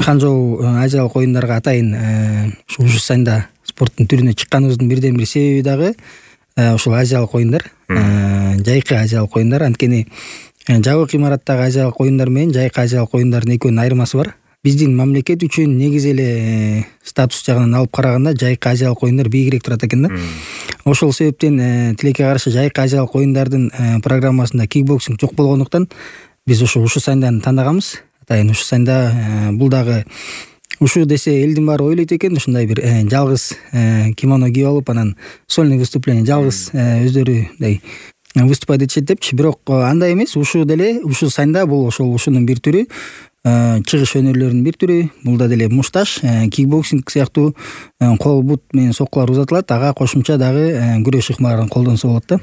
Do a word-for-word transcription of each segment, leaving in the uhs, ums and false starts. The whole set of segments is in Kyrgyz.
Ханчжоу азиялык оюндарга атайын ушу сайында спорттун түрүнө чыкканыбыздын бирден бир себеби дагы ушул азиялык оюндар, жайкы азиялык оюндар. Анткени жабык имараттагы азиялык оюндар менен жайкы азиялык оюндардын экөөнүн айырмасы бар. Биздин мамлекет үчүн негизи эле статус жагынан алып караганда жайкы азиялык оюндар бийигирээк турат экен да. Ошол себептен тилекке каршы жайкы азиялык оюндардын программасында кикбоксинг жок болгондуктан биз ушу ушу сайданы тандаганбыз. Атайын ушу сайда бул дагы ушу десе элдин баары ойлойт экен, ушундай бир жалгыз кимоно кийип алып, анан сольный выступление жалгыз өздөрү мындай выступать этишет депчи. Бирок андай эмес, ушу деле ушу сайда бул ошол ушунун бир түрү, чыгыш өнөрлөрүнүн бир түрү. Бул да деле мушташ, кикбоксинг сыяктуу кол бут менен соккулар узатылат, ага кошумча дагы күрөш ыкмаларын колдонсо болот да.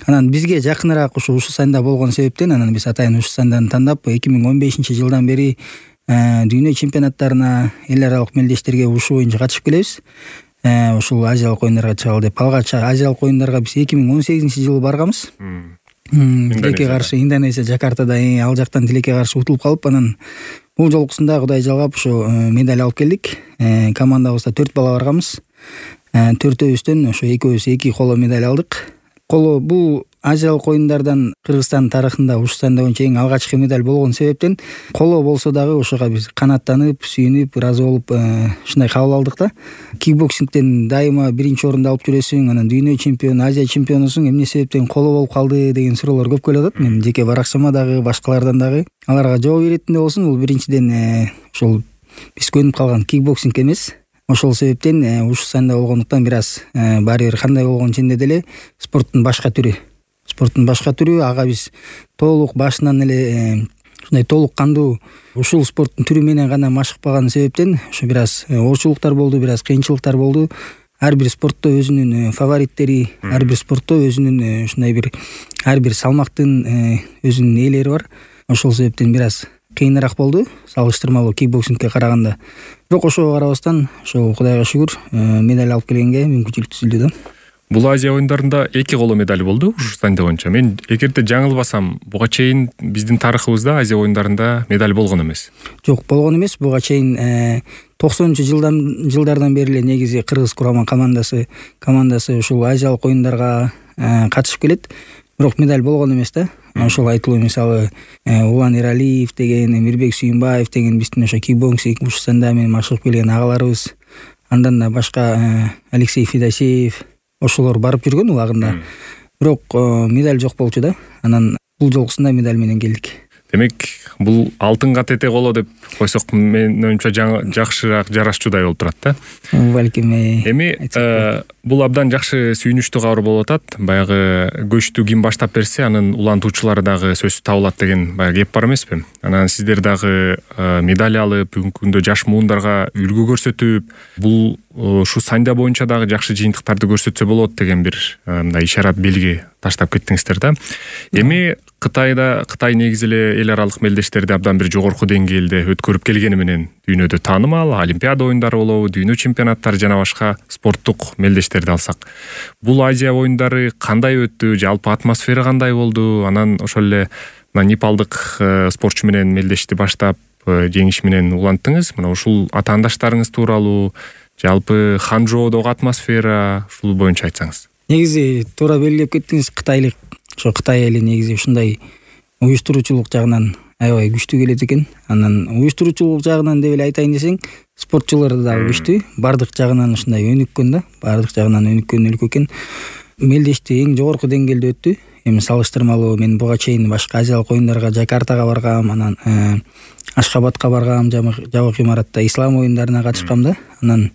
Анан бизге жакыныраак ушу ушу сайда болгон себептен анан биз атайын ушу сайданы тандап эки миң он бешинчи жылдан бери дүйнө чемпионаттарына, эл аралык мелдештерге ушу боюнча катышып келебиз. Ушул азиялык оюндарга чыгалы деп. Алгач азиялык оюндарга биз эки миң он сегизинчи жылы барганбыз. Тилекке каршы Индонезия, Жакартада, ал жактан тилекке каршы утулуп калып, анан бул жолкусунда Кудай жалгап ушу медаль алып келдик. Командабызда төрт бала барганбыз. Төртөөбүздөн ошо экөөбүз эки коло медаль алдык. Коло бул азиялык оюндардан Кыргызстан тарыхында ушу сайда боюнча эң алгачкы медаль болгон себептен коло болсо дагы ошого биз канааттанып, сүйүнүп, ыраазы болуп ушундай кабыл алдык да. Кикбоксингден дайыма биринчи орунду алып жүрөсүң, анан дүйнө чемпиону, Азия чемпионусуң, эмне себептен коло болуп калды деген суроолор көп келип атат. Мен жеке баракчама дагы, башкалардан дагы аларга жооп беретиндей болсун. Бул биринчиден ушул биз көнүп калган кикбоксинг эмес. Ошол себептен ушу сайда болгондуктан бир аз баары бир кандай болгон ченде деле спорттун башка түрү. Спорттун башка түрү, ага биз толук башынан эле ушундай толук кандуу ушул спорттун түрү менен гана машыкпаган себептен ошо бир аз оорчулуктар болду, бир аз кыйынчылыктар болду. Ар бир спортто өзүнүн фавориттери, ар бир спортто өзүнүн ушундай бир ар бир салмактын өзүнүн ээлери бар. Ошол себептен бир аз кыйыныраак болду салыштырмалуу кикбоксингке караганда. Бирок ошого карабастан ошо Кудайга шүгүр медаль алып келгенге мүмкүнчүлүк түзүлдү да. Бул Азия оюндарында эки коло медаль болду ушу сайда боюнча. Мен эгерде жаңылбасам, буга чейин биздин тарыхыбызда Азия оюндарында медаль болгон эмес. Жок, болгон эмес. Буга чейин токсонунчу жылдан жылдардан бери эле негизи Кыргыз курама командасы командасы ушул азиялык оюндарга катышып келет. Бирок медаль болгон эмес да. Ошол айтылуу мисалы Улан Эралиев деген, Эмирбек Сүйүнбаев деген биздин ошо кикбоксинг ушу сайда менен машыгып келген агаларыбыз. Андан да башка Алексей Федосеев ошолор барып жүргөн убагында. Бирок медаль жок болчу да. Анан бул жолкусунда медаль менен келдик. Демек, бул алтынга тете коло деп койсок, менин оюмча жакшыраак жарашчудай болуп турат да. Балким. Эми бул абдан жакшы сүйүнүчтүү кабар болуп атат. Баягы көчтү ким баштап берсе, анын улантуучулары дагы сөзсүз табылат деген баягы кеп бар эмеспи? Анан сиздер дагы медаль алып, бүгүнкү күндө жаш муундарга үлгү көрсөтүп, бул ушу сайда боюнча дагы жакшы жыйынтыктарды көрсөтсө болот деген бир мындай ишарат белги таштап кеттиңиздер да. Эми Кытайда Кытай негизи эле эл аралык мелдештерди абдан бир жогорку деңгээлде өткөрүп келгени менен дүйнөдө таанымал, Олимпиада оюндары болобу, дүйнө чемпионаттары жана башка спорттук мелдештерди алсак, бул Азия оюндары кандай өттү, жалпы атмосфера кандай болду? Анан ошол эле непалдык спортчу менен мелдешти баштап жеңиш менен уланттыңыз. Мына ушул атаандаштарыңыз тууралуу, жалпы Ханчжоудогу атмосфера, ушул боюнча айтсаңыз. Негизи туура белгилеп кеттиңиз. Кытайлык ошо Кытай эли негизи ушундай уюштуруучулук жагынан аябай күчтүү келет экен. Анан уюштуруучулук жагынан деп эле айтайын десең, спортчулар дагы күчтүү. Бардык жагынан ушундай өнүккөн да, бардык жагынан өнүккөн өлкө экен. Мелдешти эң жогорку деңгээлде өттү. Эми салыштырмалуу мен буга чейин башка азиялык оюндарга Жакартага баргам, анан Ашхабадка баргам, жабык имаратта ислам оюндарына катышкам да. Анан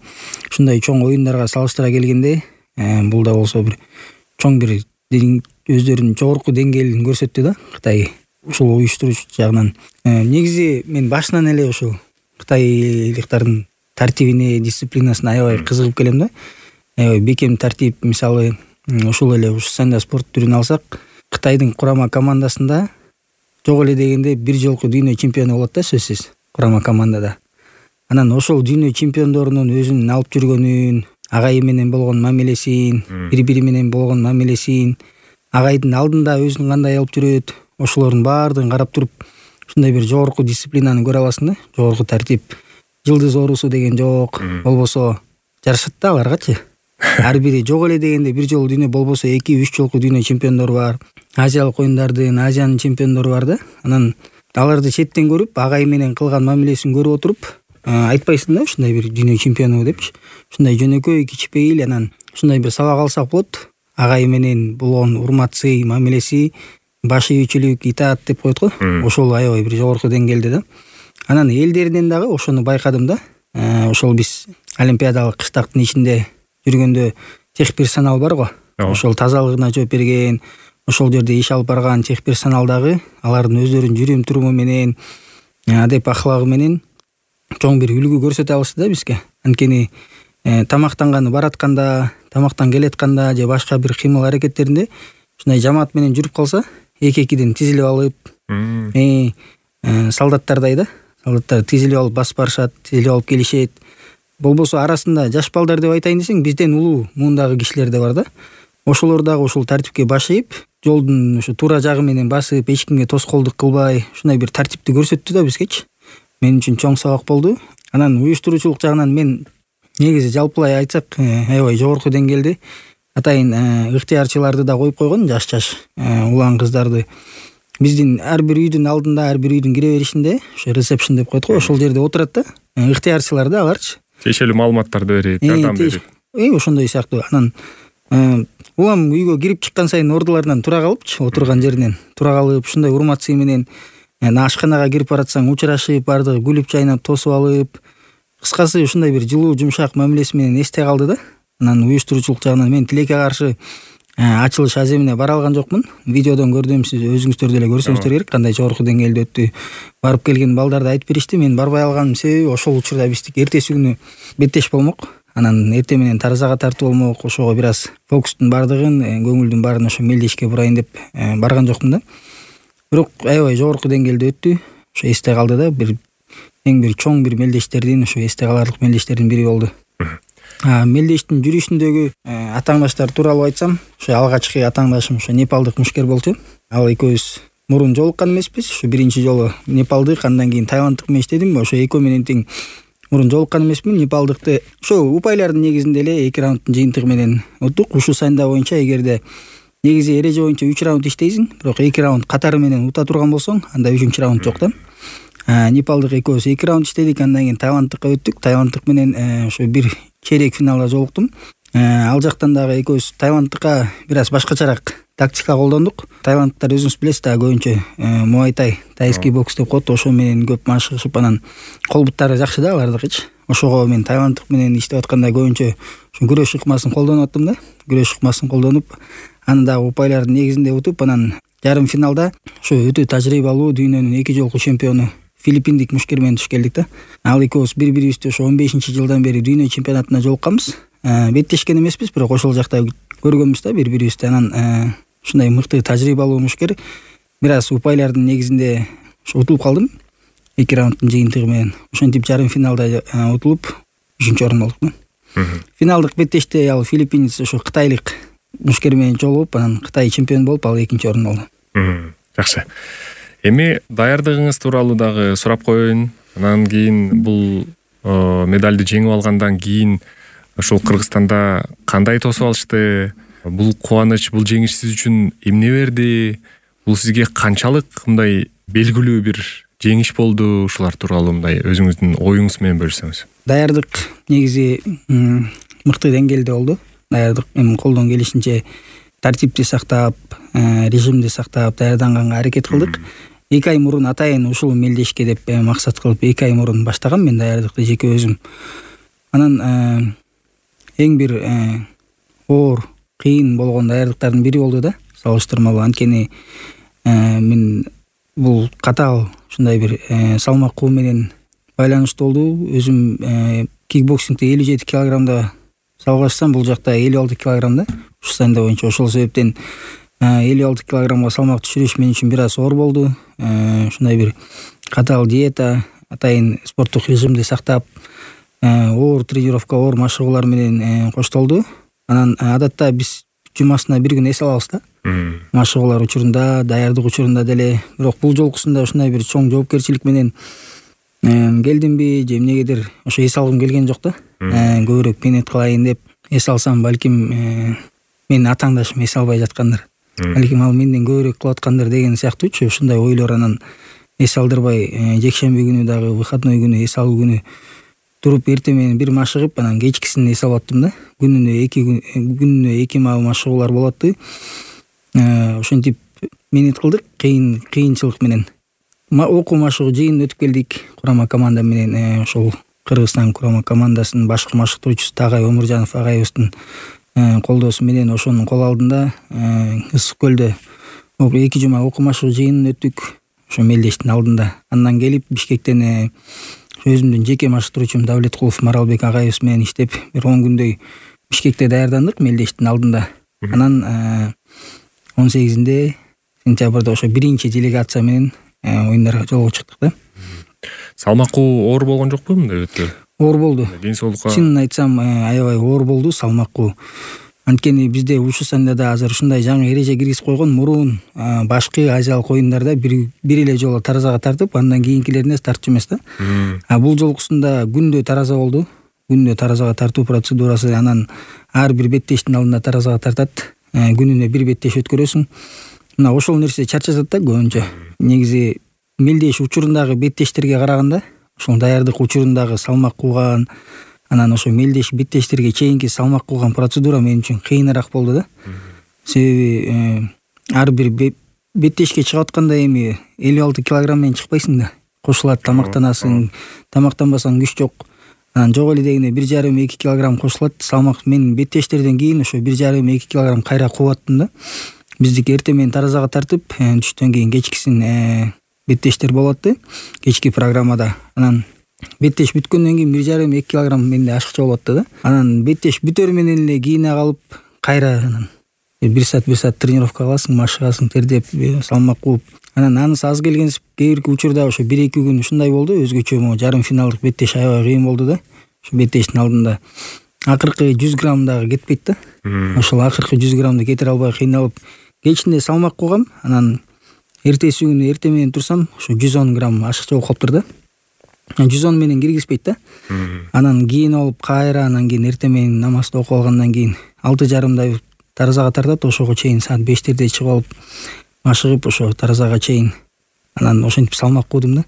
ушундай чоң оюндарга салыштыра келгенде, бул да болсо бир чоң бир өздөрүнүн жогорку деңгээлин көрсөттү да Кытай ушул уюштуруучу жагынан. Негизи мен башынан эле ушул кытайлыктардын тартибине, дисциплинасына аябай кызыгып келем да. Аябай бекем тартип, мисалы ушул эле ушу сайда спорт түрүн алсак, Кытайдын курама командасында жок эле дегенде бир жолку дүйнө чемпиону болот да, сөзсүз, курама командада. Анан ошол дүйнө чемпиондорунун өзүнүн алып жүргөнүн, агайы менен болгон мамилесин, бири-бири менен болгон мамилесин, агайдын алдында өзүн кандай алып жүрөт, ошолордун баардыгын карап туруп, ушундай бир жогорку дисциплинаны көрө аласың да, жогорку тартип. жылдыз оорусу деген жок, болбосо жарашат да аларгачы. Ар бири жок эле дегенде бир жолу дүйнө, болбосо эки үч жолку дүйнө чемпиондору бар. Азиялык оюндардын, Азиянын чемпиондору бар да. Анан аларды четтен көрүп, агай менен кылган мамилесин көрүп отуруп, айтпайсың да ушундай бир дүйнө чемпиону депчи. Ушундай жөнөкөй, кичпейил, анан ушундай бир сабак алсак болот. Агай менен болгон урмат, сый, мамилеси, баш ийүүчүлүк, итаат деп коет го. Ошол аябай бир жогорку деңгээлде да. Анан элдеринен дагы ошону байкадым да. Ошол биз олимпиадалык кыштактын ичинде жүргөндө техперсонал бар го. Ошол тазалыгына жооп берген, ошол жерде иш алып барган техперсонал дагы алардын өздөрүнүн жүрүм туруму менен, адеп аклагы менен чоң бир үлгү көрсөтө алышты да бизге. Анткени тамактанганы баратканда, тамактан келетканда же башка бир кыймыл аракеттеринде ушундай жамаат менен жүрүп калса, эки-экиден тизилип алып, э солдаттардай да, солдаттар тизилип алып басып барышат, тизилип алып келишет. Болбосо арасында жаш балдар деп айтайын десең, бизден улуу муундагы кишилер да бар да. Ошолор дагы ушул тартипке баш ийип, жолдун ушу туура жагы менен басып, эч кимге тоскоолдук кылбай, ушундай бир тартипти көрсөттү да бизгечи. Мен үчүн чоң сабак болду. Анан уюштуруучулук жагынан мен негизи жалпылай айтсак, аябай жогорку деңгээлде атайын ыктыярчыларды да коюп койгон, жаш-жаш улан кыздарды. Биздин ар бир үйдүн алдында, ар бир үйдүн кире беришинде, ошо ресепшн деп коет го, ошол жерде отурат да. Ыктыярчылар да аларчы. Тиешелүү маалыматтарды берип, жардам берип. Э, ошондой сыяктуу. Анан улам үйгө кирип чыккан сайын ордуларынан тура калыпчы, отурган жеринен тура калып, ушундай урмат сый менен ашканага кирип баратсаң учурашып, бардыгы күлүп чайнап, тосуп алып, кыскасы ушундай бир жылуу, жумшак мамилеси менен эсте калды да. Анан уюштуруучулук жагынан мен тилекке каршы ачылыш аземине бара алган жокмун. Видеодон көрдүм, сиз өзүңүздөр деле көрсөңүздөр керек, кандай жогорку деңгээлде өттү. Барып келген балдар да айтып беришти. Мен барбай алганымдын себеби ошол учурда биздик эртеси күнү беттеш болмок. Анан эрте менен таразага тартуу болмок. Ошого бир аз фокустун бардыгын, көңүлдүн баарын ошо мелдешке бурайын деп барган жокмун да. Бирок аябай жогорку деңгээлде өттү. Ошо эсте калды да. Бир эң бир чоң бир мелдештердин, ошо эсте каларлык мелдештердин бири болду. Мелдештин жүрүшүндөгү атаңдаштар тууралуу айтсам, ошо алгачкы атаңдашым ошо Непалдык мушкер болчу. Ал экөөбүз мурун жолуккан эмеспиз. Ошо биринчи жолу Непалдык, андан кийин Таиланддык менен иштедим. Ошо экөө менен тең мурун жолуккан эмесмин. Непалдыкты ошо упайлардын негизинде эле эки раундтун жыйынтыгы менен уттук. Ушул сайында боюнча эгерде негизи эреже боюнча үч раунд иштейсиң, бирок эки раунд катары менен ута турган болсоң, анда үчүнчү раунд жок да. Непалдык экөөбүз эки раунд иштедик, андан кийин Таиланддыкка өттүк. Таиланддык менен ошо бир чейрек финалга жолуктум. Ал жактан дагы экөөбүз Таиланддыкка бир аз башкачараак тактика колдондук. Таиландтар өзүңүз билесиз да, көбүнчө муайтай, тайский бокс деп коет, ошо менен көп машыгышып, анан кол буттары жакшы да алардыкычы. Ошого мен Таиланддык менен иштеп атканда көбүнчө ушу күрөш ыкмасын колдонуп аттым да. Күрөш ыкмасын колдонуп, аны дагы упайлардын негизинде утуп, анан жарым финалда ошо өтө тажрыйбалуу дүйнөнүн эки жолку чемпиону филиппиндик мушкер менен туш келдик да. Ал экөөбүз бири-бирибизди ошо он бешинчи жылдан бери дүйнө чемпионатына жолукканбыз. Беттешкен эмеспиз, бирок ошол жакта көргөнбүз да бири-бирибизди. Анан ушундай мыкты тажрыйбалуу мушкер бир аз упайлардын негизинде ошо утулуп калдым. эки раундтун жыйынтыгы менен ошентип жарым финалда утулуп үчүнчү орун алдык. Финалдык беттеште ал филиппинец ошо кытайлык мушкер менен жолугуп, анан Кытай чемпион болуп, ал экинчи орун алды. Жакшы. Эми даярдыгыңыз тууралуу дагы сурап коеюн. Анан кийин бул медалды жеңип алгандан кийин ошол Кыргызстанда кандай тосуп алышты? Бул кубаныч, бул жеңиш сиз үчүн эмне берди? Бул сизге канчалык мындай белгилүү бир жеңиш болду? Ушулар тууралуу мындай өзүңүздүн оюңуз менен бөлүшсөңүз. Даярдык негизи мыкты деңгээлде болду. Даярдык эми колдон келишинче тартипти сактап, режимди сактап даярданганга аракет кылдык. эки ай мурун атайын ушул мелдешке деп максат кылып эки ай мурун баштагам мен даярдыкты жеке өзүм. Анан эң бир оор, кыйын болгон даярдыктардын бири болду да, салыштырмалуу. Анткени мен бул катаал ушундай бир салмак менен байланыштуу болду. Өзүм кикбоксингде элүү жети килограммда салгылашсам, бул жакта элүү алты килограммда. Ушул сайында боюнча ошол себептен элүү алты килограммга салмак түшүрүш мен үчүн бир аз оор болду. Ушундай бир катаал диета, атайын спорттук режимди сактап, оор тренировка, оор машыгуулар менен коштолду. Анан адатта биз жумасына бир күн эс алабыз да. Машыгуулар учурунда, даярдык учурунда деле. Бирок бул жолкусунда ушундай бир чоң жоопкерчилик менен келдимби же эмнегедир ошо эс алгым келген жок да. Көбүрөөк мээнет кылайын деп эс алсам, балким менин атааңдашым эс албай жаткандыр, балким ал менден көбүрөөк кылып аткандыр деген сыяктуучу ушундай ойлор. Анан эс алдырбай жекшемби күнү дагы, выходной күнү, эс алуу күнү туруп эртең менен бир машыгып, анан кечкисин эс алып аттым да. Күнүнө эки күнүнө эки маал машыгуулар болот. Ошентип мээнет кылдык, кыйын кыйынчылык менен. Окуу машыгуу жыйын өтүп келдик курама команда менен. Ошол Кыргызстан курама командасынын башкы машыктыруучусу Тагай Омуржанов агайыбыздын колдоосу менен ошонун кол алдында Ысык көлдө эки жума окуу машыгуу жыйынын өттүк. Ошо мелдештин алдында. Андан келип Бишкектен өзүмдүн жеке машыктыруучум Давлеткулов Маралбек агайыбыз менен иштеп бир он күндөй Бишкекте даярдандык мелдештин алдында. Анан он сегизинде сентябрда ошо биринчи делегация менен оюндарга жолго чыктык да. Салмакуу оор болгон жокпу мындай өтө? Оор болду. Ден соолукка чынын айтсам аябай оор болду салмакуу. Анткени бизде Ушусандада азыр ушундай жаңы эреже киргизип койгон. Мурун башкы азиялык оюндарда бир бир эле жолу таразага тартып, андан кийинкилерине тартчу эмес да. А бул жолкусунда күндө тараза болду. Күндө таразага тартуу процедурасы, анан ар бир беттештин алдында таразага тартат. Күнүнө бир беттеш өткөрөсүң. Мына ошол нерсе чарчатат да көбүнчө. Негизи мелдеш учурундагы беттештерге караганда, ошол даярдык учурундагы салмак кууган, анан ошо мелдеш беттештерге чейинки салмак кууган процедура мен үчүн кыйыныраак болду да. Себеби ар бир беттешке чыгып атканда эми элүү алты килограмм менен чыкпайсың да. Кошулат, тамактанасың, тамактанбасаң күч жок. Анан жок эле дегенде бир жарым эки килограмм кошулат. Салмак мен беттештерден кийин ошо бир жарым эки килограмм кайра кууаттым да. Биздики эртең менен таразага тартып, түштөн кийин кечкисин беттештер болот да. Кечки программада. Анан беттеш бүткөндөн кийин бир жарым эки килограмм менде ашыкча болот да. Анан беттеш бүтөр менен эле кийине калып, кайра анан бир саат бир саат тренировка кыласың, машыгасың, тердеп, салмак кууп. Анан анысы аз келгенсип, кээ бирки учурда ошо бир эки күн ушундай болду. Өзгөчө могу жарым финалдык беттеш аябай кыйын болду да. Ошо беттештин алдында акыркы жүз грамм дагы кетпейт да. Ошол акыркы жүз граммды кетире албай кыйналып, кечинде салмак куугам. Анан эртеси күнү эртең менен турсам, ошо жүз он грамм ашыкча болуп калыптыр да. жүз он менен киргизбейт да. Анан кийин алып кайра, анан кийин эртең менен намазды окуп алгандан кийин алты жарымдай таразага тартат. Ошого чейин саат бештерде чыгып алып, машыгып ошо таразага чейин анан ошентип салмак куудум да.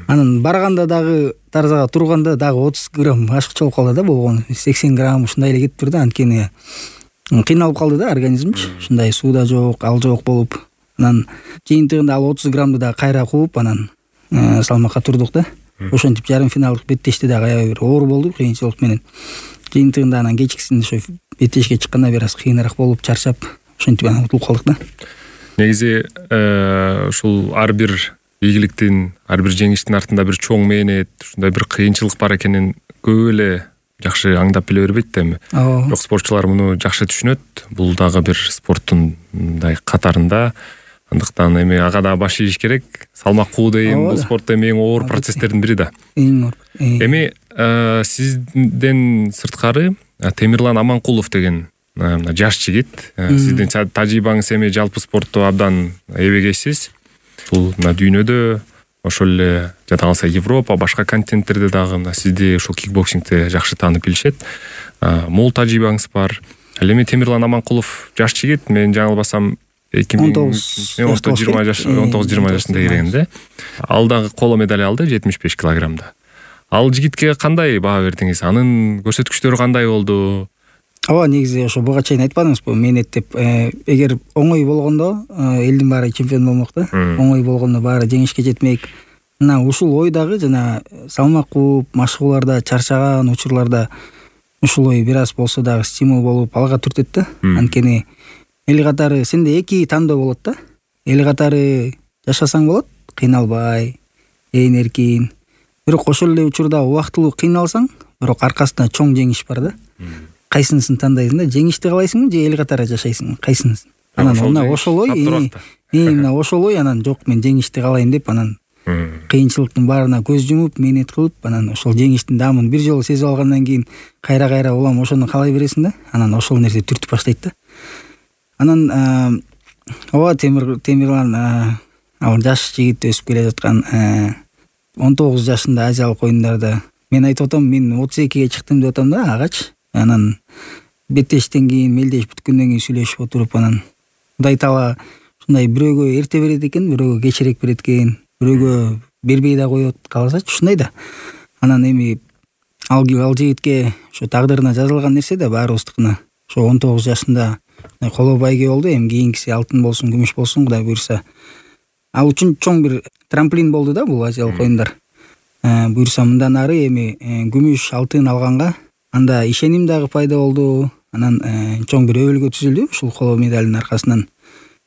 Анан барганда дагы таразага турганда дагы отуз грамм ашыкча болуп калды да, болгону сексен грамм ушундай эле кетиптир да. Анткени кыйналып калды да организмчи. Ушундай сууда жок, ал жок болуп. Анан жыйынтыгында ал отуз граммды да кайра кууп, анан салмакка турдук да. Ошентип жарым финалдык беттешти дагы аябай бир оор болду кыйынчылык менен. Жыйынтыгында анан кечкисин ошо беттешке чыкканда бир аз кыйыныраак болуп, чарчап, ошентип анан утулуп калдык да. Негизи ушул ар бир ийгиликтин, ар бир жеңиштин артында бир чоң мээнет, ушундай бир кыйынчылык бар экенин көп эле жакшы аңдап биле бербейт да эми. Бирок спортчулар муну жакшы түшүнөт. Бул дагы бир спорттун мындай катарында. Андыктан эми ага да баш ийиш керек. Салмак куу дейм, бул спортто эми эң оор процесстердин бири да. Эң оор. Эми сизден сырткары Темирлан Аманкулов деген жаш жигит, сиздин тажрыйбаңыз эми жалпы спортто абдан эбегейсиз. Бул дүйнөдө, ошол эле жада калса Европа, башка континенттерде дагы сизди ушул кикбоксингде жакшы таанып билишет. Мол тажрыйбаңыз бар. Ал эми Темирлан Аманкулов жаш жигит, мен жаңылбасам он тогуз жыйырма жашында киргенде. Ал дагы коло медаль алды жетимиш беш килограммда. Ал жигитке кандай баа бердиңиз? Анын көрсөткүчтөрү кандай болду? Ооба, негизи ошо буга чейин айтпадыңызбы, мээнет деп. Эгер оңой болгондо элдин баары чемпион болмок да. Оңой болгондо баары жеңишке жетмек. Мына ушул ой дагы жана салмак кууп, машыгууларда чарчаган учурларда ушул ой бир аз болсо дагы стимул болуп алга түртөт да. Анткени эл катары сенде эки тандоо болот да. Эл катары жашасаң болот, кыйналбай, ээн эркин. Бирок ошол эле учурда убактылуу кыйналсаң, бирок аркасында чоң жеңиш бар да. Кайсынысын тандайсың да? Жеңишти каалайсыңбы же эл катары жашайсың? Кайсынысын? Анан мына ошол ой, мына ошол ой анан жок, мен жеңишти каалайм деп анан кыйынчылыктын баарына көз жумуп, мээнет кылып, анан ошол жеңиштин даамын бир жолу сезип алгандан кийин кайра-кайра улам ошону каалай бересиң да. Анан ошол нерсе түртүп баштайт да. Анан ооба Темирлан ал жаш жигит өсүп келе жаткан он тогуз жашында азиялык оюндарда мен айтып атам, мен отуз экиге чыктым деп атам да агачы. Анан беттештен кийин, мелдеш бүткөндөн кийин сүйлөшүп отуруп, анан Кудай таала ушундай бирөөгө эрте берет экен, бирөөгө кечирээк берет экен, бирөөгө бербей да коет кааласачы, ушундай да. Анан эми ал ал жигитке ошо тагдырына жазылган нерсе да баарыбыздыкына. Ошо он тогуз жашында коло байге болду. Эми кийинкиси алтын болсун, күмүш болсун, Кудай буйрса. Ал үчүн чоң бир трамплин болду да бул азиялык оюндар. Буйрса мындан ары эми күмүш, алтын алганга анда ишеним дагы пайда болду. Анан чоң бир өбөлгө түзүлдү ушул коло медалдын аркасынан.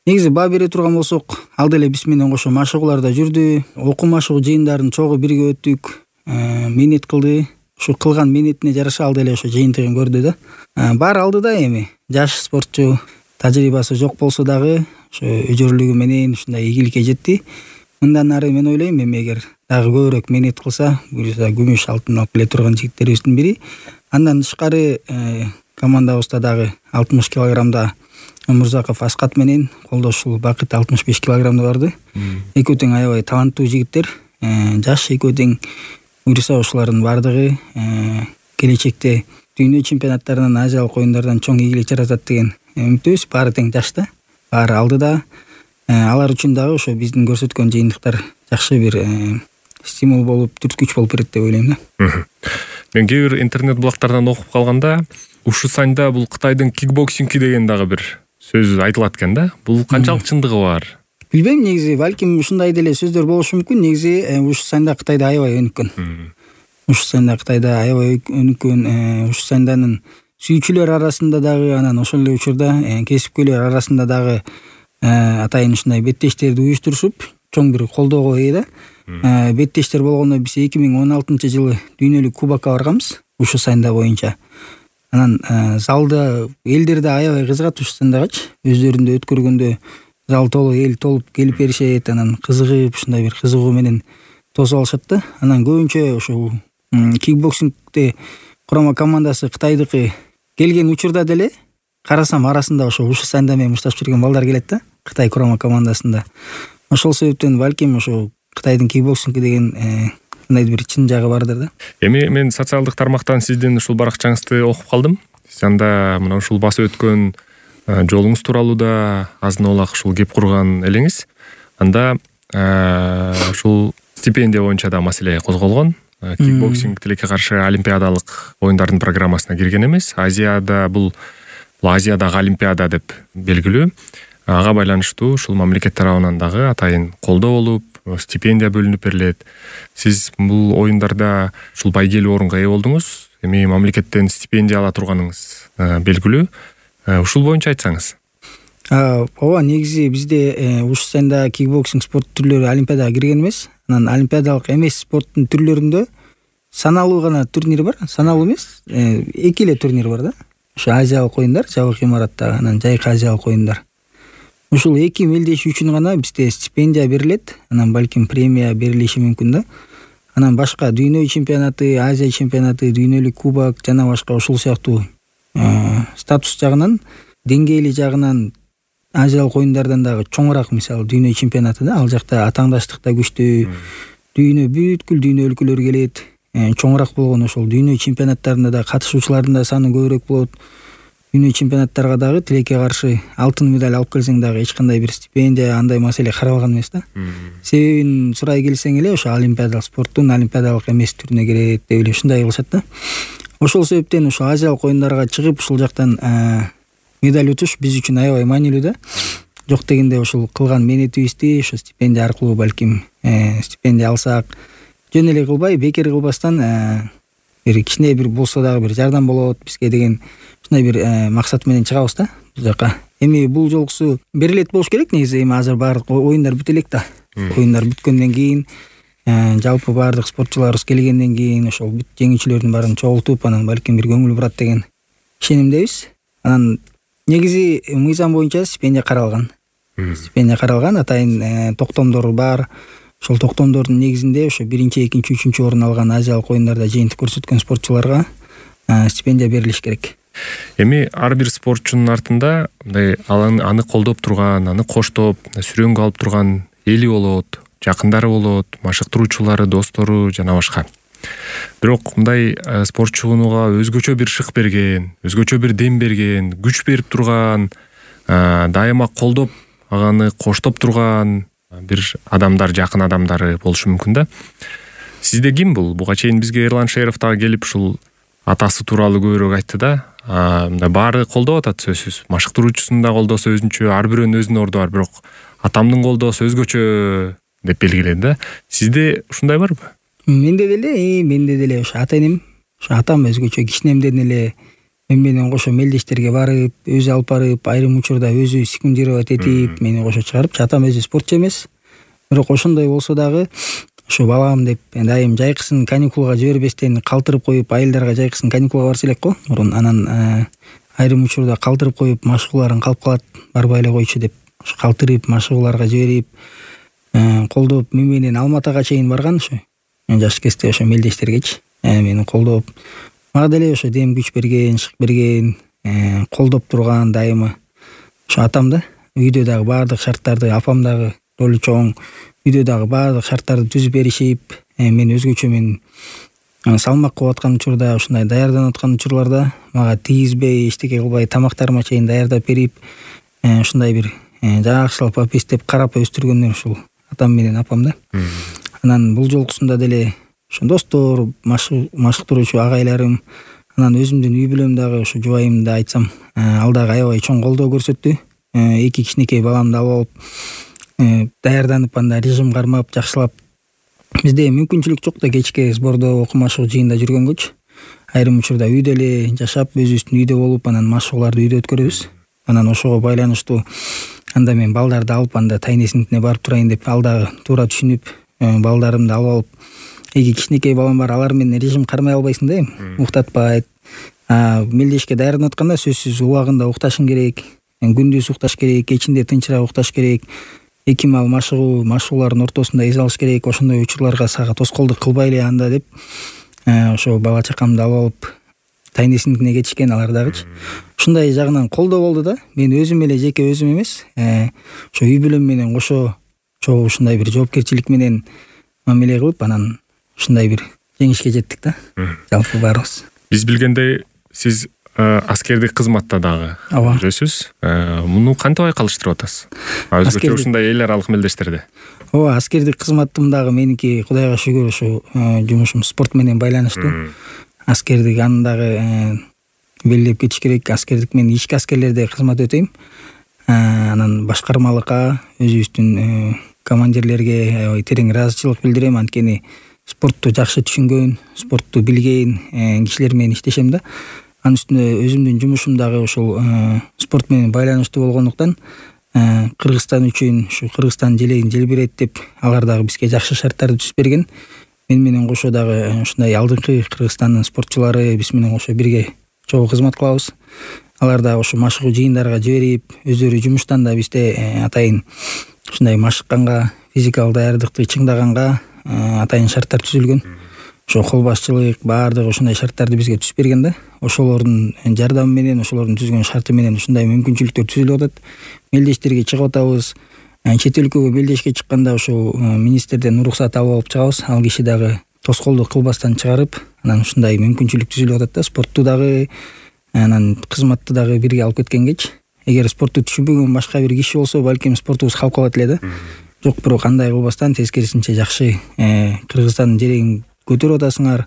Негизи баа бере турган болсок, ал деле биз менен кошо машыгууларда жүрдү. Окуу машыгуу жыйындарын чогуу бирге өттүк. Менет кылды. Ушу кылган менетине жараша ал деле ошо жыйынтыгын көрдү да. Баары алдыда эми. Жаш спортчу, тажрыйбасы жок болсо дагы ошо өжөрлүгү менен ушундай ийгиликке жетти. Мындан ары мен ойлойм, эми эгер дагы көбүрөөк менет кылса, буюрса күмүш, алтын алып келе турган жигиттерибиздин бири. Андан тышкары командабызда дагы алтымыш килограммда Өмүрзаков Аскат менен колдошул Бакыт алтымыш беш килограммда барды. Экөө тең аябай таланттуу жигиттер, жаш экөө тең. Буюрса ушулардын бардыгы келечекте дүйнө чемпионаттарынан, азиялык оюндардан чоң ийгилик жаратат деген үмүттүбүз. Баары тең жашта, баары алдыда. Алар үчүн дагы ошо биздин көрсөткөн жыйынтыктар жакшы бир стимул болуп, түрткүч болуп берет деп ойлойм да. Мен кээ бир интернет блогтардан окуп калганда, Ушусанда бул Кытайдын кикбоксинги деген дагы бир сөз айтылат экен да. Бул канчалык чындыгы бар? Билбейм, негизи балким ушундай деле сөздөр болушу мүмкүн. Негизи Ушусанда Кытайда аябай өнүккөн. Ушусанда Кытайда аябай өнүккөн. Ушусанданын сүйүүчүлөр арасында дагы, анан ошол эле учурда кесипкөйлөр арасында дагы атайын ушундай беттештерди уюштурушуп, чоң бир колдоого ээ да. Беттештер болгондо биз эки миң он алтынчы жылы дүйнөлүк кубокко барганбыз Ушусанда боюнча. Анан залда элдер да аябай кызыгат Ушусандагычы. Өздөрүндө өткөргөндө зал толуп, эл толуп келип беришет, анан кызыгып, ушундай бир кызыгуу менен тосуп алышат да. Анан көбүнчө ошо кикбоксингде курама командасы Кытайдыкы келген учурда деле карасам арасында ошо Ушусанда менен мушташып жүргөн балдар келет да, Кытай курама командасында. Ошол себептен балким ошо Кытайдын кикбоксинги деген мындай бир чын жагы бардыр да. Эми мен социалдык тармактан сиздин ушул баракчаңызды окуп калдым. Сиз анда мына ушул басып өткөн жолуңуз тууралуу да азын олак ушул кеп курган элеңиз. Анда ушул стипендия боюнча да маселе козголгон. Кикбоксинг тилекке каршы олимпиадалык оюндардын программасына кирген эмес. Азияда бул Азиядагы олимпиада деп белгилүү. Ага байланыштуу ушул мамлекет тарабынан дагы атайын колдоо болуп, стипендия бөлүнүп берилет. Сиз бул оюндарда ушул байгелүү орунга ээ болдуңуз. Эми мамлекеттен стипендия ала турганыңыз белгилүү. Ушул боюнча айтсаңыз. Ооба, негизи бизде Ушусанда кикбоксинг спорт түрлөрү олимпиадага кирген эмес. Анан олимпиадалык эмес спорттун түрлөрүндө саналуу гана турнир бар. Саналуу эмес, эки эле турнир бар да. Ошо азиялык оюндар, жабык имаратта, анан жайкы азиялык оюндар. Ушул эки мелдеш үчүн гана бизде стипендия берилет, анан балким премия берилиши мүмкүн да. Анан башка дүйнө чемпионаты, Азия чемпионаты, дүйнөлүк кубок жана башка ушул сыяктуу статус жагынан, деңгээли жагынан азиялык оюндардан дагы чоңураак, мисалы дүйнө чемпионаты да, ал жакта атаңдаштык да күчтүү. Дүйнө бүткүл дүйнө өлкөлөр келет. Чоңураак болгон ошол дүйнө чемпионаттарында да катышуучулардын да саны көбүрөөк болот. Дүйнө чемпионаттарга дагы тилекке каршы алтын медаль алып келсең дагы эч кандай бир стипендия, андай маселе каралган эмес да. Себебин сурай келсең эле ошо олимпиадалык спорттун олимпиадалык эмес түрүнө кирет деп эле ушундай кылышат да. Ошол себептен ошо азиялык оюндарга чыгып ушул жактан медаль утуш биз үчүн аябай маанилүү да. Жок дегенде ушул кылган менетибизди ошо стипендия аркылуу балким стипендия алсак, жөн эле кылбай, бекер кылбастан бир кичине бир болсо дагы бир жардам болот бизге деген ушундай бир максат менен чыгабыз да бул жака. Эми бул жолкусу берилет болуш керек негизи. Эми азыр баардык оюндар бүтө элек да. Оюндар бүткөндөн кийин жалпы баардык спортчуларыбыз келгенден кийин ошол бүт жеңүүчүлөрдүн баарын чогултуп, анан балким бир көңүл бурат деген ишенимдебиз. Анан негизи мыйзам боюнча стипендия каралган. Стипендия каралган, атайын токтомдор бар. Ошол токтомдордун негизинде ошо биринчи, экинчи, үчүнчү орун алган азиялык оюндарда жыйынтык көрсөткөн спортчуларга стипендия берилиш керек. Эми ар бир спортчунун артында мындай аны колдоп турган, аны коштоп, сүрөнгө алып турган эли болот, жакындары болот, машыктыруучулары, достору жана башка. Бирок мындай спортчуга өзгөчө бир шык берген, өзгөчө бир дем берген, күч берип турган, дайыма колдоп, аганы коштоп турган бир адамдар, жакын адамдары болушу мүмкүн да. Сизде ким бул? Буга чейин бизге Эрлан Шеров дагы келип ушул атасы тууралуу көбүрөөк айтты да. Мындай баары колдоп атат сөзсүз. Машыктыруучусун да колдоосу өзүнчө, ар бирөөнүн өзүнүн орду бар, бирок атамдын колдоосу өзгөчө деп белгиледи да. Сизде ушундай барбы? Менде деле, менде деле ошо ата-энем, ошо атам өзгөчө кичинемден эле мен менен кошо мелдештерге барып, өзү алып барып, айрым учурда өзү секундировать этип, мени кошо чыгарып, атам өзү спортчу эмес. Бирок ошондой болсо дагы ошо балам деп дайым жайкысын каникулга жибербестен калтырып коюп, айылдарга жайкысын каникулга барса элек го. Мурун анан айрым учурда калтырып коюп, машыгууларын калып калат, барбай эле койчу деп ошо калтырып, машыгууларга жиберип, колдоп мен менен Алматыга чейин барган ошо. Жаш кезде ошо мелдештергечи мени колдоп, мага деле ошо дем күч берген, шык берген, колдоп турган дайыма ошо атам да. Үйдө дагы баардык шарттарды, апам дагы ролу чоң, үйдө дагы баардык шарттарды түзүп беришип, мен өзгөчө мен салмак кылып аткан учурда, ушундай даярданып аткан учурларда мага тийгизбей, эчтеке кылбай тамактарыма чейин даярдап берип, ушундай бир жакшылап апестеп карап өстүргөндөр ушул атам менен апам да. Анан бул жолкусунда деле ошо достор, машыктыруучу агайларым, анан өзүмдүн үй бүлөм дагы ошо жубайымды айтсам, ал дагы аябай чоң колдоо көрсөттү. Эки кичинекей баламды алып алып, даярданып, анда режим кармап, жакшылап. Бизде мүмкүнчүлүк жок да кечке сбордо, окуу-машыгуу жыйында жүргөнгөчү. Айрым учурда үйдө эле жашап, өзүбүздүн үйдө болуп, анан машыгууларды үйдө өткөрөбүз. Анан ошого байланыштуу анда мен балдарды алып, анда тайнесиңитине барып турайын деп, ал дагы туура түшүнүп, балдарымды алып алып, эки кичинекей балам бар, алар менен режим кармай албайсың да, уктатпайт. Мелдешке даярданып атканда сөзсүз убагында укташың керек, күндүз укташ керек, кечинде тынчыраак укташ керек. Эки маал машыгуу, машыгуулардын ортосунда эс алыш керек. Ошондой учурларга сага тоскоолдук кылбай эле анда деп, ошо бала чакамды алып алып тайнесиңитине кетишкен алар дагычы. Ушундай жагынан колдоо болду да. Мен өзүм эле жеке өзүм эмес, ошо үй бүлөм менен кошо чогуу ушундай бир жоопкерчилик менен мамиле кылып, анан ушундай бир жеңишке жеттик да. Жалпы баарыбыз. Биз билгендей, сиз аскердик кызматта дагы жүрөсүз. Муну кантип айкалыштырып атасыз? Өзгөчө ушундай эл аралык мелдештерде. Ооба, аскердик кызматым дагы меники Кудайга шүгүр ошо жумушум спорт менен байланыштуу. Аскердик аны дагы белгилеп кетиш керек. Аскердик мен ички аскерлерде кызмат өтөйм. Анан башкармалыкка, өзүбүздүн командирлерге аябай терең ыраазычылык билдирем. Анткени спортту жакшы түшүнгөн, спортту билген кишилер менен иштешем да. Анын үстүнө өзүмдүн жумушум дагы ошол спорт менен байланыштуу болгондуктан, Кыргызстан үчүн, ушу Кыргызстан желегин желбирет деп, алар дагы бизге жакшы шарттарды түзүп берген. Мен менен кошо дагы ушундай алдыңкы Кыргызстандын спортчулары биз менен кошо бирге чогуу кызмат кылабыз. Алар дагы ошо машыгуу жыйындарга жиберип, өздөрү жумуштан да бизде атайын ушундай машыкканга, физикалык даярдыкты чыңдаганга атайын шарттар түзүлгөн. Ошо кол башчылык, баардыгы ушундай шарттарды бизге түзүп берген да. Ошолордун жардамы менен, ошолордун түзгөн шарты менен ушундай мүмкүнчүлүктөр түзүлүп атат. Мелдештерге чыгып атабыз. Чет өлкөгө мелдешке чыкканда ошо министрден уруксат алып алып чыгабыз. Ал киши дагы тоскоолдук кылбастан чыгарып, анан ушундай мүмкүнчүлүк түзүлүп атат да. Спортту дагы, анан кызматты дагы бирге алып кеткенгечи. Эгер спортту түшүнбөгөн башка бир киши болсо, балким спортубуз калып калат эле да. Жок, бирок андай кылбастан, тескерисинче жакшы Кыргызстандын жерегин көтөрүп атасыңар,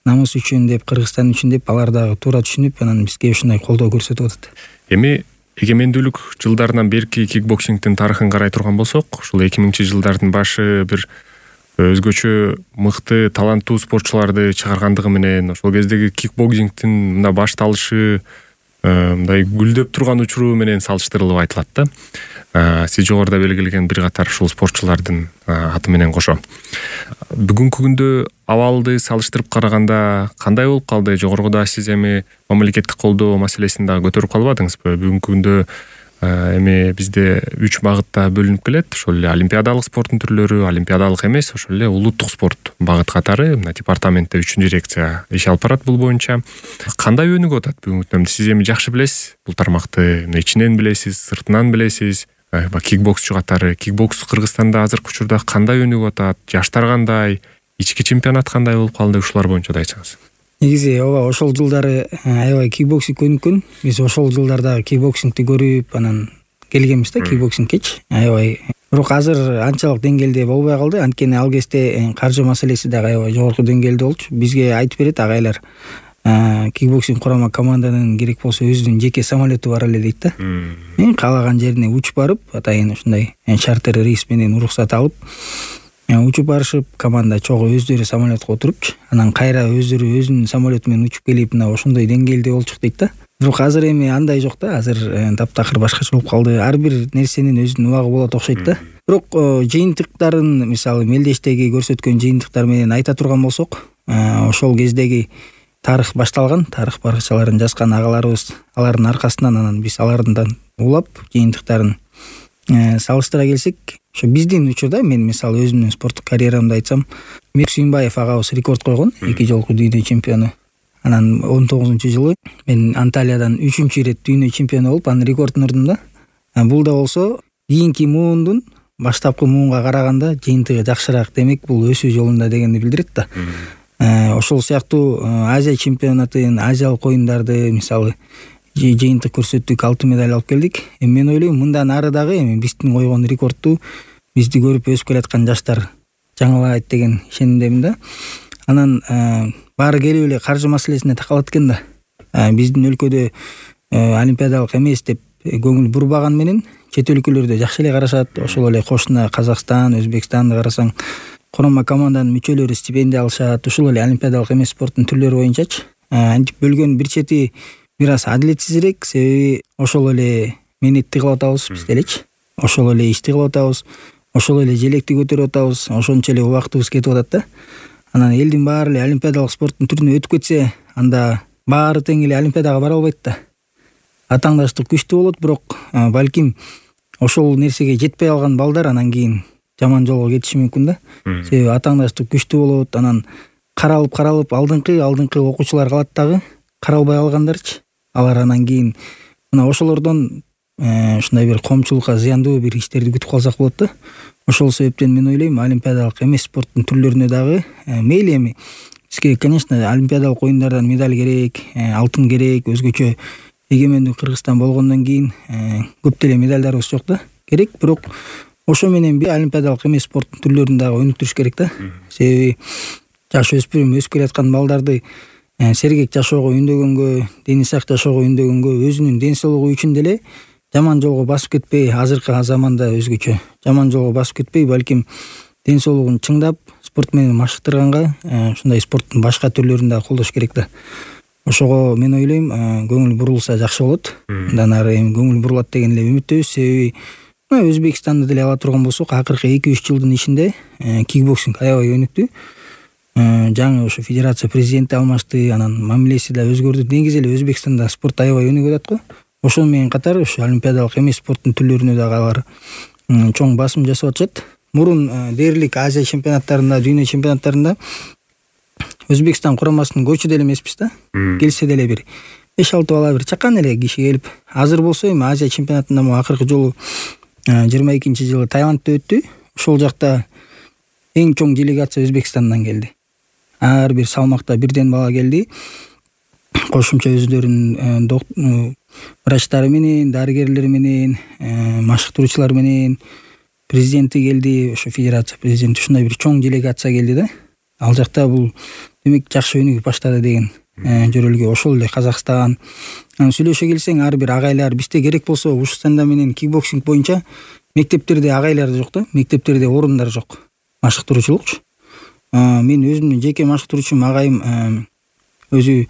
намыс үчүн деп, Кыргызстан үчүн деп, алар дагы туура түшүнүп, анан бизге ушундай колдоо көрсөтүп атат. Эми эгемендүүлүк жылдарынан берки кикбоксингдин тарыхын карай турган болсок, ушул эки миңинчи жылдардын башы бир өзгөчө мыкты, таланттуу спортчуларды чыгаргандыгы менен, ошол кездеги кикбоксингдин мына башталышы мындай гүлдөп турган учуру менен салыштырылып айтылат да. Сиз жогоруда белгилеген бир катар ушул спортчулардын аты менен кошо. Бүгүнкү күндө абалды салыштырып караганда кандай болуп калды? Жогоруда сиз эми мамлекеттик колдоо маселесин дагы көтөрүп калбадыңызбы? Бүгүнкү күндө эми бизде үч багытта бөлүнүп келет. Ошол эле олимпиадалык спорттун түрлөрү, олимпиадалык эмес, ошол эле улуттук спорт багыт катары. Мына департаментте үчүнчү дирекция иш алып барат бул боюнча. Кандай өнүгүп атат бүгүнкү күндө? Сиз эми жакшы билесиз бул тармакты, ичинен билесиз, сыртынан билесиз. баягы кикбоксчу катары. Кикбокс Кыргызстанда азыркы учурда кандай өнүгүп атат? Жаштар кандай? Ички чемпионат кандай болуп калды? Ушулар боюнча да айтсаңыз. Негизи ооба ошол жылдары аябай кикбоксинг өнүккөн. Биз ошол жылдардагы кикбоксингти көрүп анан келгенбиз да кикбоксингкечи. Аябай. Бирок азыр анчалык деңгээлде болбой калды. Анткени ал кезде каржы маселеси дагы аябай жогорку деңгээлде болчу. Бизге айтып берет агайлар. Кикбоксинг курама команданын керек болсо өзүнүн жеке самолету бар эле дейт да. Мен каалаган жерине учуп барып, атайын ушундай чартер рейс менен уруксат алып, учуп барышып, команда чогуу өздөрү самолетко отурупчу, анан кайра өздөрү өзүнүн самолету менен учуп келип, мына ошондой деңгээлде болчук дейт да. Бирок азыр эми андай жок да, азыр таптакыр башкача болуп калды. Ар бир нерсенин өзүнүн убагы болот окшойт да. Бирок жыйынтыктарын, мисалы Мелдештеги көрсөткөн жыйынтыктар менен айта турган болсок, ошол кездеги тарых башталган, тарых баракчаларын жазган агаларыбыз, алардын аркасынан анан биз алардан улап жыйынтыктарын салыштыра келсек, ошо биздин учурда мен мисалы өзүмдүн спорттук карьерамды айтсам, Мир Сүйүнбаев агабыз рекорд койгон, эки жолку дүйнө чемпиону. Анан он тогузунчу жылы мен Анталиядан үчүнчү ирет дүйнө чемпиону болуп, анын рекордун урдум да. Бул да болсо кийинки муундун баштапкы муунга караганда жыйынтыгы жакшыраак, демек бул өсүү жолунда дегенди билдирет да. Ошол сыяктуу Азия чемпионатын, азиялык оюндарды мисалы жыйынтык көрсөттүк, алтын медаль алып келдик. Эми мен ойлойм, мындан ары дагы эми биздин койгон рекордту бизди көрүп өсүп келаткан жаштар жаңылайт деген ишенимдемин да. Анан баары келип эле каржы маселесине такалат экен да. Биздин өлкөдө олимпиадалык эмес деп көңүл бурбаган менен чет өлкөлөрдө жакшы эле карашат. Ошол эле кошуна Казакстан, Өзбекстанды карасаң, курама команданын мүчөлөрү стипендия алышат. Ушул эле олимпиадалык эмес спорттун түрлөрү боюнчачы. Антип бөлгөн бир чети бир аз адилетсизирээк, себеби ошол эле мээнетти кылып атабыз биз делечи. Ошол эле ишти кылып атабыз, ошол эле желекти көтөрүп атабыз, ошончо эле убактыбыз кетип атат да. Анан элдин баары эле олимпиадалык спорттун түрүнө өтүп кетсе, анда баары тең эле олимпиадага бара албайт да. Атаңдаштык күчтүү болот, бирок балким ошол нерсеге жетпей алган балдар анан кийин жаман жолго кетиши мүмкүн да. Себеби атаңдаштык күчтүү болот, анан каралып каралып алдыңкы алдыңкы окуучулар калат дагы, каралбай алгандарчы. Алар анан кийин мына ошолордон ушундай бир коомчулукка зыяндуу бир иштерди күтүп калсак болот да. Ошол себептен мен ойлойм, олимпиадалык эмес спорттун түрлөрүнө дагы мейли эми бизге, конечно, олимпиадалык оюндардан медаль керек, алтын керек, өзгөчө эгемендүү Кыргызстан болгондон кийин көп деле медальдарыбыз жок да. Керек, бирок ошо менен бир олимпиадалык эмес спорттун түрлөрүн дагы өнүктүрүш керек да. Себеби жаш өспүрүм өсүп келаткан балдарды сергек жашоого үндөгөнгө, дени сак жашоого үндөгөнгө, өзүнүн ден соолугу үчүн деле жаман жолго басып кетпей, азыркы заманда өзгөчө жаман жолго басып кетпей, балким ден соолугун чыңдап, спорт менен машыктырганга ушундай спорттун башка түрлөрүн дагы колдош керек да. Ошого мен ойлойм, көңүл бурулса жакшы болот. Андан ары эми көңүл бурулат деген эле үмүттөбүз, себеби Өзбекстанды деле ала турган болсок, акыркы эки үч жылдын ичинде кикбоксинг аябай өнүктү. Жаңы ошо федерация президенти алмашты, анан мамилеси да өзгөрдү. Негизи эле Өзбекстанда спорт аябай өнүгүп атат го. Ошол менен катар ошо олимпиадалык эмес спорттун түрлөрүнө дагы алар чоң басым жасап атышат. Мурун дээрлик Азия чемпионаттарында, дүйнө чемпионаттарында Өзбекстан курамасынын көчү деле эмеспиз да. Келсе деле бир беш алты бала бир чакан эле киши келип. Азыр болсо эми Азия чемпионатында мо акыркы жолу жыйырма экинчи жылы Таиландда өттү. Ошол жакта эң чоң делегация Өзбекстандан келди. Ар бир салмакта бирден бала келди. Кошумча өздөрүнүн врачтары менен, дарыгерлери менен, машыктыруучулар менен, президенти келди, ошо федерация президенти, ушундай бир чоң делегация келди да. Ал жакта бул демек жакшы өнүгүп баштады деген жөрөлгө. Ошол эле Казакстан. Сүйлөшө келсең, ар бир агайлар бизде керек болсо ушустанда менен кикбоксинг боюнча мектептерде агайлар жок да, мектептерде орундар жок. Машыктыруучулукчу. Мен өзүмдүн жеке машыктыруучум агайым өзү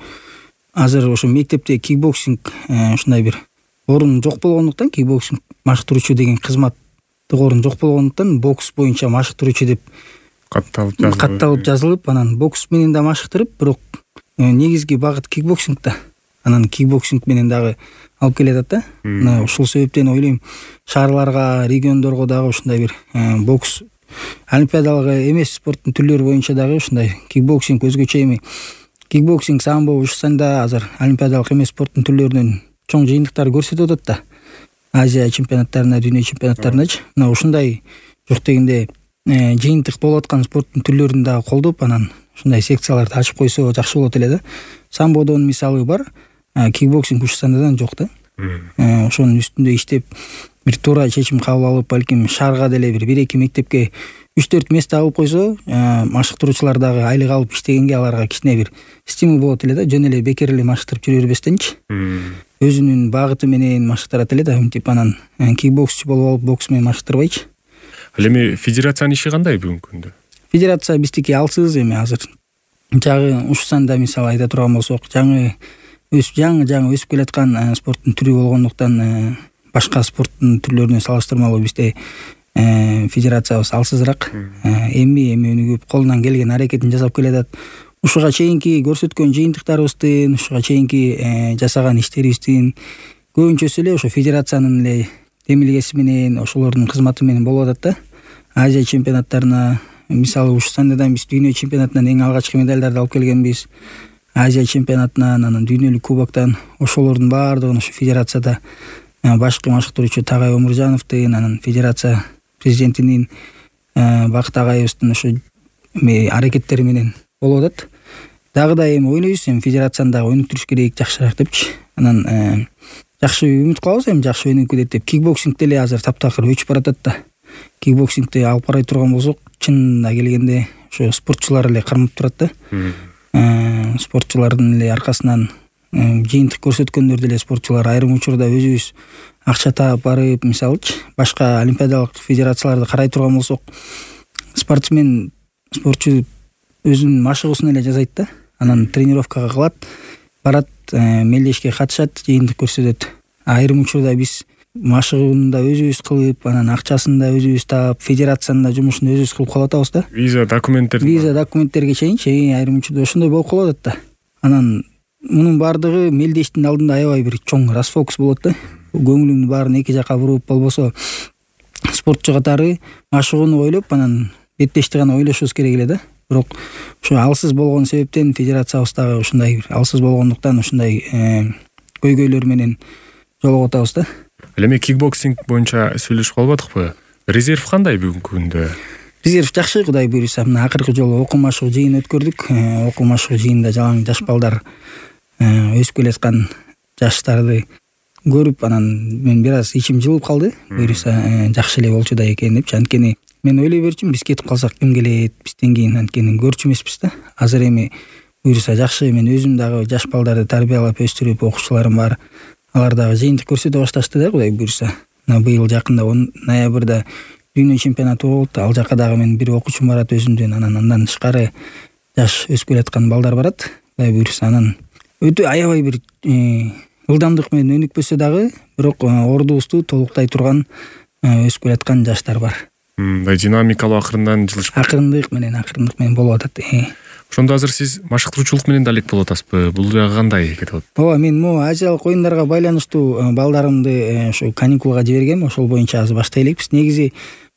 азыр ошо мектепте кикбоксинг ушундай бир орун жок болгондуктан, кикбоксинг машыктыруучу деген кызматтык орун жок болгондуктан, бокс боюнча машыктыруучу деп катталып жазылып, катталып жазылып, анан бокс менен да машыктырып, бирок негизги багыт кикбоксинг да. Анан кикбоксинг менен дагы алып келет да. Мына ушул себептен ойлойм, шаарларга, региондорго дагы ушундай бир бокс олимпиадалык эмес спорттун түрлөрү боюнча дагы ушундай кикбоксинг өзгөчө эми кикбоксинг, самбо, ушусанда азыр олимпиадалык эмес спорттун түрлөрүнөн чоң жыйынтыктар көрсөтүп атат да. Азия чемпионаттарына, дүйнө чемпионаттарыначы. Мына ушундай жок дегенде жыйынтык болуп аткан спорттун түрлөрүн дагы колдоп, анан ушундай секцияларды ачып койсо жакшы болот эле да. Самбодон мисалы бар, кикбоксинг Ушсандадан жок да. Ошонун үстүндө иштеп, бир туура чечим кабыл алып, балким шаарга деле бир бир эки мектепке үч төрт место алып койсо, машыктыруучулар дагы айлык алып иштегенге аларга кичине бир стимул болот эле да. Жөн эле бекер эле машыктырып жүрө бербестенчи. Өзүнүн багыты менен машыктырат эле да. Мынтип анан кикбоксчу болуп алып, бокс менен машыктырбайчы. Ал эми федерациянын иши кандай бүгүнкү күндө? Федерация биздики алсыз эми азыр. Жагы Ушсанда мисалы айта турган болсок, жаңы өсүп жаңы жаңы өсүп келаткан спорттун түрү болгондуктан башка спорттун түрлөрүнө салыштырмалуу бизде федерациябыз алсызыраак. Эми эми өнүгүп, колунан келген аракетин жасап келатат. Ушуга чейинки көрсөткөн жыйынтыктарыбыздын, ушуга чейинки жасаган иштерибиздин көбүнчөсү эле ошо федерациянын эле демилгеси менен, ошолордун кызматы менен болуп атат да. Азия чемпионаттарына, мисалы Ушсандадан биз дүйнө чемпионатынан эң алгачкы медалдарды алып келгенбиз. Азия чемпионатынан, анан дүйнөлүк кубоктан ошолордун баардыгын ошо федерацияда башкы машыктыруучу Тагай Омуржановдун, анан федерация президентинин Бакыт агайыбыздын ошо аракеттери менен болуп атат. Дагы да эми ойнойбуз, эми федерацияны дагы өнүктүрүш керек, жакшыраак депчи. Анан жакшы үмүт кылабыз, эми жакшы өнүгүп кетет деп. Кикбоксинг деле азыр таптакыр өчүп баратат да. Кикбоксингди алып карай турган болсок, чынында келгенде ошо спортчулар эле кармап турат да. Спортчулардын эле аркасынан жыйынтык көрсөткөндөр деле спортчулар айрым учурда өзүбүз акча таап барып, мисалычы башка олимпиадалык федерацияларды карай турган болсок, спортсмен, спортчу өзүнүн машыгуусун эле жасайт да. Анан тренировкага кылат, барат, мелдешке катышат, жыйынтык көрсөтөт. Айрым учурда биз машыгууну да өзүбүз кылып, анан акчасын да өзүбүз таап, федерациянын да жумушун өзүбүз кылып калып атабыз да. Виза документтер. Виза документтерге чейинчи айрым учурда ошондой болуп калып атат да. Анан мунун баардыгы мелдештин алдында аябай бир чоң расфокус болот да. Көңүлүңдү баарын эки жака буруп, болбосо спортчу катары машыгууну ойлоп, анан беттешти гана ойлошубуз керек эле да. Бирок ошо алсыз болгон себептен федерациябыз дагы ушундай бир алсыз болгондуктан ушундай көйгөйлөр менен жолугуп атабыз да. Эми кикбоксинг боюнча сүйлөшүп калбадыкпы? Резерв кандай бүгүнкү күндө? Резерв жакшы, Кудай буйруса. Мына акыркы жолу окуу машыгуу жыйын өткөрдүк. Окуу машыгуу жыйында жалаң жаш балдар өсүп келаткан жаштарды көрүп, анан мен бир аз ичим жылып калды. Буйруса жакшы эле болчу да экен депчи. Анткени мен ойлой берчүмүн, биз кетип калсак ким келет, бизден кийин, анткени көрчү эмеспиз да. Азыр эми буйруса жакшы, мен өзүм дагы жаш балдарды тарбиялап өстүрүп, окуучуларым бар. Алар дагы жыйынтык көрсөтө башташты да, Кудай буйруса. Мына быйыл жакында ноябрда дүйнө чемпионаты болот. Ал жака дагы мен бир окуучум барат өзүмдүн, анан андан тышкары жаш өсүп келаткан балдар барат. Кудай буйруса, анан өтө аябай бир ылдамдык менен өнүкпөсө дагы, бирок ордубузду толуктай турган өсүп келаткан жаштар бар. Мындай динамикалуу акырындан жылышып. Акырындык менен, акырындык менен болуп атат. Ошондо азыр сиз машыктыруучулук менен да алек болуп атасызбы? Бул жагы кандай кетип атат? Ооба, мен могу азиялык оюндарга байланыштуу балдарымды ошо каникулга жибергем. Ошол боюнча азыр баштай элекпиз. Негизи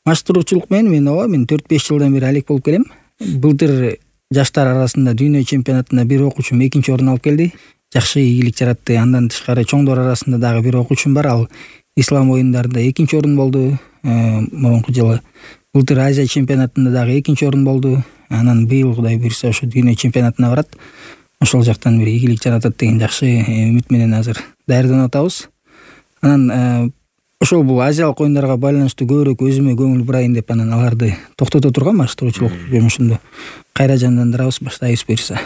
машыктыруучулук менен мен ооба, мен төрт беш жылдан бери алек болуп келем. Былтыр жаштар арасында дүйнө чемпионатында бир окуучум экинчи орун алып келди. Жакшы ийгилик жаратты. Андан тышкары чоңдор арасында дагы бир окуучум бар. Ал ислам оюндарында экинчи орун болду мурунку жылы. Былтыр Азия чемпионатында дагы экинчи орун болду. Анан быйыл Кудай буйруса ошо дүйнө чемпионатына барат. Ошол жактан бир ийгилик жаратат деген жакшы үмүт менен азыр даярданып атабыз. Анан ошол бул азиялык оюндарга байланыштуу көбүрөөк өзүмө көңүл бурайын деп, анан аларды токтото турган машыктыруучулук жумушумду кайра жандандырабыз, баштайбыз буйруса.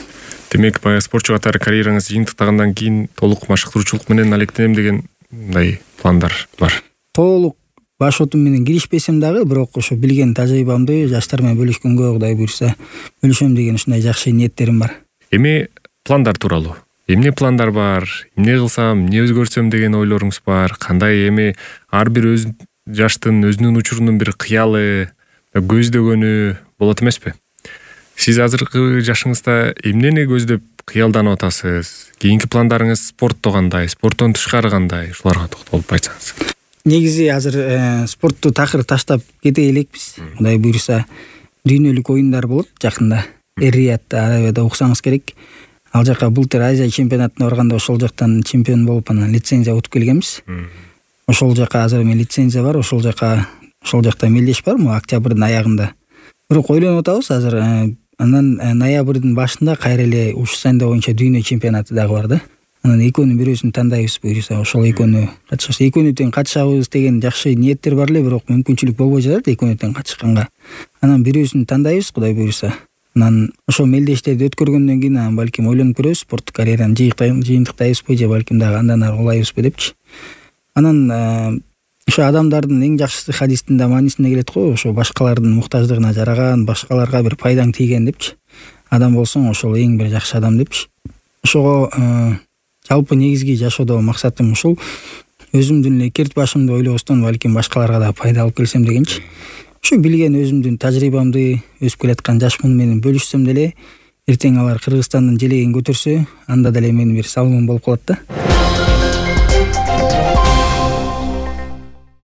Демек, баягы спортчу катары карьераңыз жыйынтыктагандан кийин толук машыктыруучулук менен алектенем деген мындай пландар бар? Толук баш отум менен киришпесем дагы, бирок ошо билген тажрыйбамды жаштар менен бөлүшкөнгө Кудай буйруса бөлүшөм деген ушундай жакшы ниеттерим бар. Эми пландар тууралуу. Эмне пландар бар? Эмне кылсам, эмне өзгөртсөм деген ойлоруңуз бар? Кандай эми ар бир өз жаштын өзүнүн учурунун бир кыялы, көздөгөнү болот эмеспи? Сиз азыркы жашыңызда эмнени көздөп кыялданып атасыз? Кийинки пландарыңыз спортто кандай, спорттон тышкары кандай? Ушуларга токтолуп айтсаңыз. Негизи азыр спортту такыр таштап кете элекпиз. Кудай буйруса дүйнөлүк оюндар болот жакында. Эр-Риядда, Арабияда уксаңыз керек. Ал жака былтыр Азия чемпионатына барганда ошол жактан чемпион болуп, анан лицензия утуп келгенбиз. ошол жака азыр эми лицензия бар, ошол жака ошол жакта мелдеш бар могу октябрдын аягында. Бирок ойлонуп атабыз азыр. Анан ноябрдын башында кайра эле ушу сайында боюнча дүйнө чемпионаты дагы бар да. Анан экөөнүн бирөөсүн тандайбыз буюрса, ошол экөөнү катышабыз. Экөөнү тең катышабыз деген жакшы ниеттер бар эле, бирок мүмкүнчүлүк болбой жатат экөөнү тең катышканга. Анан бирөөсүн тандайбыз, Кудай буюрса. Анан ошол мелдештерди өткөргөндөн кийин анан балким ойлонуп көрөбүз, спорттук карьераны жыйынтыктайбызбы же балким дагы андан ары улайбызбы депчи. Анан ошо адамдардын эң жакшысы хадистин да маанисине келет го, ошо башкалардын муктаждыгына жараган, башкаларга бир пайдаң тийген депчи. Адам болсоң ошол эң бир жакшы адам депчи. Ошого жалпы негизги жашоодо максатым ушул. Өзүмдүн эле керт башымды ойлобостон балким башкаларга да пайда алып келсем дегенчи. Ушу билген өзүмдүн тажрыйбамды, өсүп келаткан жаш муну менен бөлүшсөм деле, эртең алар Кыргызстандын желегин көтөрсө, анда деле менин бир салымым болуп калат да.